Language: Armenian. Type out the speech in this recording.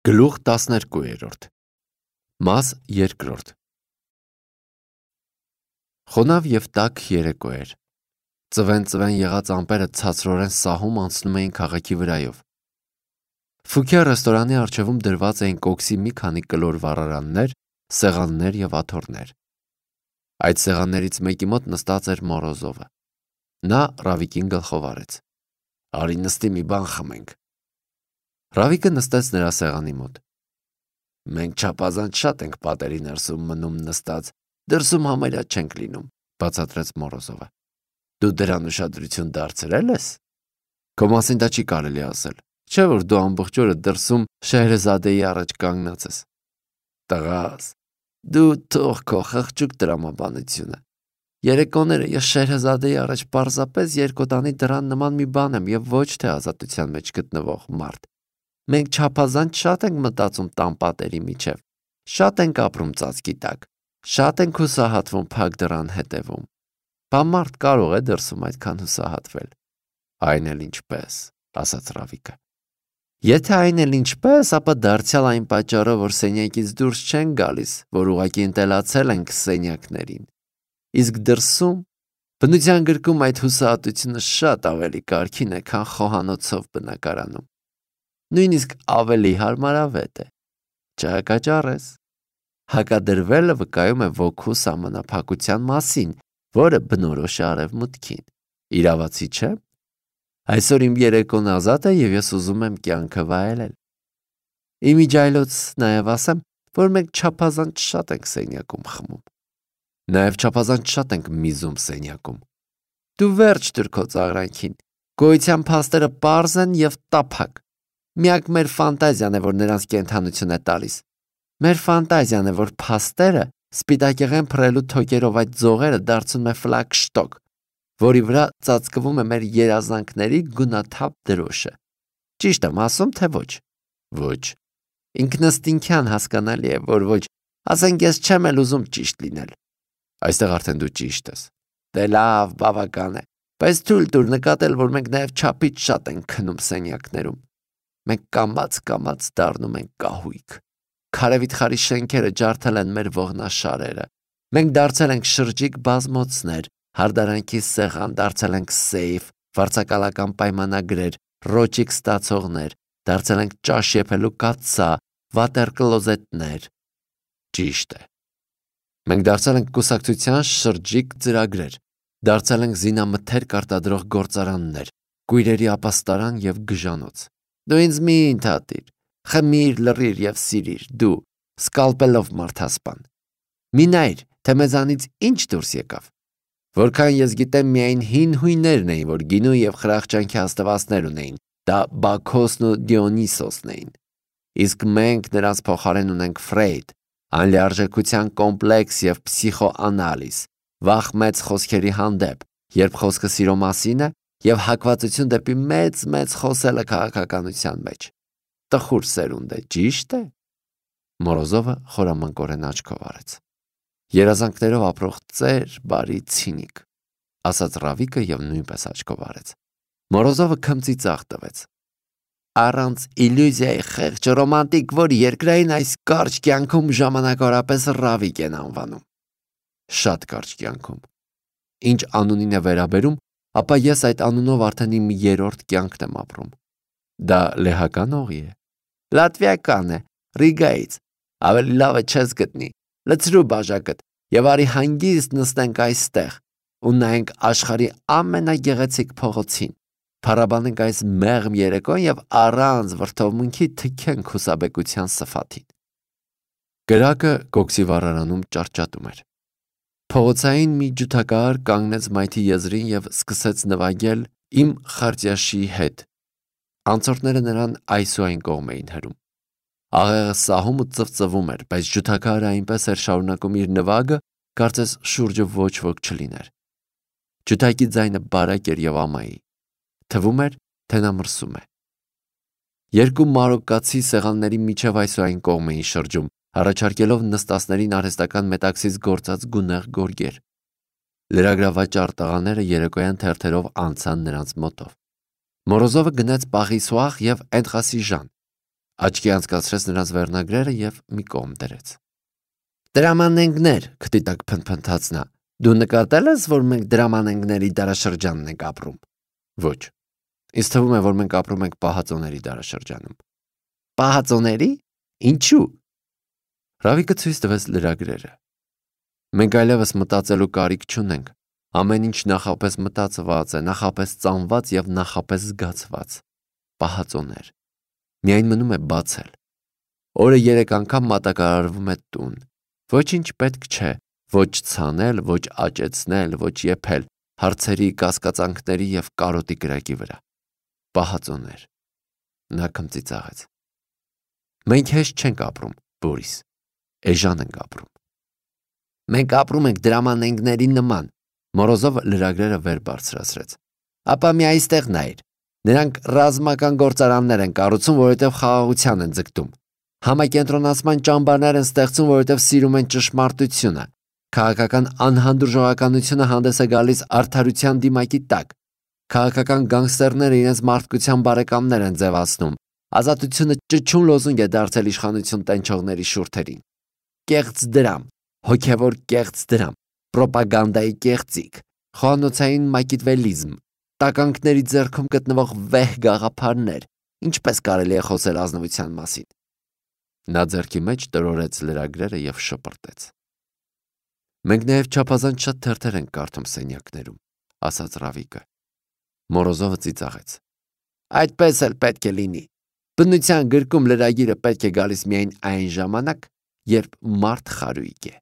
Գլուխ 12 Մաս 2 Խոնավ և տաք երեկո էր։ Ծվեն եղած ամպերը ցածրորեն սահում անցնում էին քաղաքի վրայով։ Ֆուքյա ռեստորանի առջևում դրված էին կոքսի մի քանի կլոր վառարաններ, սեղաններ և աթոռներ։ Այդ սեղաններից մեկի մոտ նստած էր Մորոզովը։ Նա Ռավիկին գլխով արեց։ «Արի նստի մի բան խմենք»։ Ռավիկը նստեց նրա սեղանի մոտ։ «Մենք չափազանց շատ ենք պատերի ներսում մնում նստած, դրսում համարյա չենք լինում», բացատրեց Մորոզովը։ «Դու դրան ուշադրություն դարձրել ես»։ «Քո մասին դա չի կարելի ասել, չէ՞ որ դու ամբողջ օրը դրսում Շեհրեզադեի առաջ կանգնած ես»։ «Տղաս, դու թող քո խղճուկ տրամաբանությունը։ Երեկոները ես Շեհրեզադեի առաջ պարզապես երկոտանի դռան նման մի բան եմ և ոչ թե ազատության մեջ գտնվող մարդ։ Մենք չափազանց շատ ենք մտածում տան պատերի միջև, շատ ենք ապրում ծածկի տակ, շատ ենք հուսահատվում փակ դռան հետևում։ Բա մարդ կարող է դրսում այդքան հուսահատվել»։ «Այն էլ ինչպես», ասաց Ռավիկը։ «Եթե այն էլ ինչպես, ապա դարձյալ այն պատճառով, որ սենյակից դուրս չենք գալիս, որ ուղղակի ընտելացել ենք սենյակներին։ Իսկ դրսում բնության գրկում այդ հուսահատությունը շատ ավելի կարգին է, քան խոհանոցով բնակարանում։ Նույնիսկ ավելի հարմարավետ է։ Չհակաճառես։ Հակադրվելը վկայում է ոգու սահմանափակության մասին, որը բնորոշ է արևմուտքին։ Իրավացի չէ՞։ Այսօր իմ երեկոն ազատ է և ես ուզում եմ կյանքը վայելել։ Իմիջիայլոց նաև ասեմ, որ մենք չափազանց շատ ենք սենյակում խմում։ Նաև չափազանց շատ ենք միզում սենյակում։ Դու վերջ տուր քո ծաղրանքին։ Գոյության փաստերը պարզ են և տափակ։ Միակ մեր ֆանտազիան է, որ նրանց կենդանություն է տալիս։ Մեր ֆանտազիան է, որ փաստերը սպիտակեղեն փռելու թոկերով այդ ձողերը դարձնում է ֆլագշտոկ, որի վրա ծածկվում է մեր երազանքների գունաթափ դրոշը։ Ճիշտ եմ ասում, թե ոչ։ Ոչ։ Ինքնըստինքյան հասկանալի է, որ ոչ։ Ասենք ես չեմ էլ ուզում ճիշտ լինել։ Այստեղ արդեն դու ճիշտ ես։ Դե լավ, բավական է։ Բայց թույլ տուր նկատել, որ մենք նաև չափից շատ ենք քնում սենյակներում։ Մենք կամաց դառնում ենք կահույք։ Քարեվիթխարի շենքերը ջարդել են մեր ողնաշարերը։ Մենք դարձել ենք շրջիկ բազմոցներ, հարդարանքի սեղան, դարձել ենք սեյֆ, վարձակալական պայմանագրեր, ռոճիկ ստացողներ, դարձել ենք ճաշ եփելու կաթսա, վատեր կլոզետներ։ Ճիշտ է։ Մենք դարձել ենք կուսակցության շրջիկ ծրագրեր, դարձել ենք զինամթերք արտադրող գործարաններ, կույրերի ապաստարան և գժանոց։ Դու ինձ մի ընդհատիր, խմիր, լռիր և սիրիր, դու, սկալպելով մարդասպան։ Մի նայր, թե մեզանից ինչ դուրս եկավ։ Որքան ես գիտեմ, միայն հին հույներն էին, որ գինու և խրախճանքի աստվածներ ունեին, դա Բաքոսն ու Դիոնիսոսն էին։ Իսկ մենք նրանց փոխարեն ունենք Ֆրեյդ, անլիարժեքության կոմպլեքս և փսիխոանալիզ, վախ մեծ խոսքերի հանդեպ, երբ խոսքը սիրո մասին է, և հակվածություն դեպի մեծ խոսելը քաղաքականության մեջ։ Տխուր սերունդ է, ճիշտ է։ Մորոզովը խորամանկորեն աչքով արեց։ Երազանքներով ապրող ծեր, բարի ցինիկ, ասաց Ռավիկը և նույնպես աչքով արեց։ Մորոզովը քմծի ծաղ տվեց։ Առանց իլյուզիայի խեղճ ռոմանտիկ, որ երկրային այս կարճ կյանքում ժամանակավորապես Ռավիկ են անվանում։ Շատ կարճ կյանքում։ Ինչ անունին է վերաբերում, ապա ես այդ անունով արդեն իմ երրորդ կյանքն եմ ապրում։ Դա լեհական օղի է։ Լատվիական է, Ռիգայից։ Ավելի լավը չես գտնի։ Լցրու բաժակդ և արի հանգիստ նստենք այստեղ ու նայենք աշխարհի ամենագեղեցիկ փողոցին, փառաբանենք այս մեղմ երեկոն և առանց վրդովմունքի թքենք հուսաբեկության սփաթին։ Կրակը կոքսի վառարանում ճարճատում էր։ Փողոցային մի ջութակահար կանգնեց մայթի եզրին և սկսեց նվագել «Իմ Խարտյաշիի» հետ։ Անցորդները նրան այսուայն կողմ էին հրում։ Աղեղը սահում ու ծվծվում էր, բայց ջութակահարը այնպես էր շարունակում իր նվագը, կարծես շուրջը ոչ ոք չլիներ։ Ջութակի ձայնը բարակ էր և ամայի։ Թվում էր, թե նա մրսում է։ Երկու մարոկկացի սեղանների միջև այսուայն կողմ էին շրջում, առաջարկելով նստածներին արհեստական մետաքսից գործած գունեղ գորգեր։ Լրագրավաճառ տղաները երեկոյան թերթերով անցան նրանց մոտով։ Մորոզովը գնաց Պաղիսուախ և Էնդխասիժան։ Աչքի անցկացրեց նրանց վերնագրերը և մի կողմ դրեց։ Դրամանենգներ, քթի տակ փնթփնթաց նա։ Դու նկատել ես, որ մենք դրամանենգների դարաշրջանն ենք ապրում։ Ոչ։ Ինձ թվում է, որ մենք ապրում ենք պահածոների դարաշրջանում։ Պահածոների։ Ինչու։ Ռավիկը ցույց տվեց լրագրերը։ Մենք այլևս մտածելու կարիք չունենք։ Ամեն ինչ նախապես մտածված է, նախապես ծանված և նախապես զգացված։ Պահածոներ։ Միայն մնում է բացել։ Օրը 3 անգամ մատակարարվում է տուն։ Ոչինչ պետք չէ, ոչ ցանել, ոչ աճեցնել, ոչ եփել, հարցերի, կասկածանքների և կարոտի կրակի վրա։ Պահածոներ։ Նա քմծիծաղեց։ Մենք հեշտ չենք ապրում, Բորիս։ Էժան ենք ապրում։ Մենք ապրում ենք դրամանենգների նման։ Մորոզովը լրագրերը վեր բարձրացրեց։ Ապա մի այստեղ նայր։ Նրանք ռազմական գործարաններ են կառուցում, որովհետև խաղաղության են ձգտում։ Համակենտրոնացման ճամբարներ են ստեղծում, որովհետև սիրում են ճշմարտությունը։ Քաղաքական անհանդուրժողականությունը հանդես է գալիս արդարության դիմակի տակ։ Քաղաքական գանգստերները իրենց մարդկության բարեկամներ են ձևացնում։ Ազատությունը ճչուն լոզունգ է դարձել իշխանություն տենչողների շուրթերին։ Կեղծ դրամ, հոգևոր կեղծ դրամ, պրոպագանդայի կեղծիք, խոհանոցային մակիդվելիզմ, տականքների ձեռքում գտնվող վեհ գաղափարներ, ինչպես կարելի է խոսել ազնվության մասին։ Նա ձեռքի մեջ տրորեց լրագրերը և շպրտեց։ Մենք նաև չափազանց շատ թերթեր ենք կարդում սենյակներում, ասաց Ռավիկը։ Մորոզովը ծիծաղեց։ Այդպես էլ պետք է լինի։ Բնության գրքում լրագիրը պետք է գալիս միայն այն ժամանակ, երբ մարդ խարույկ է։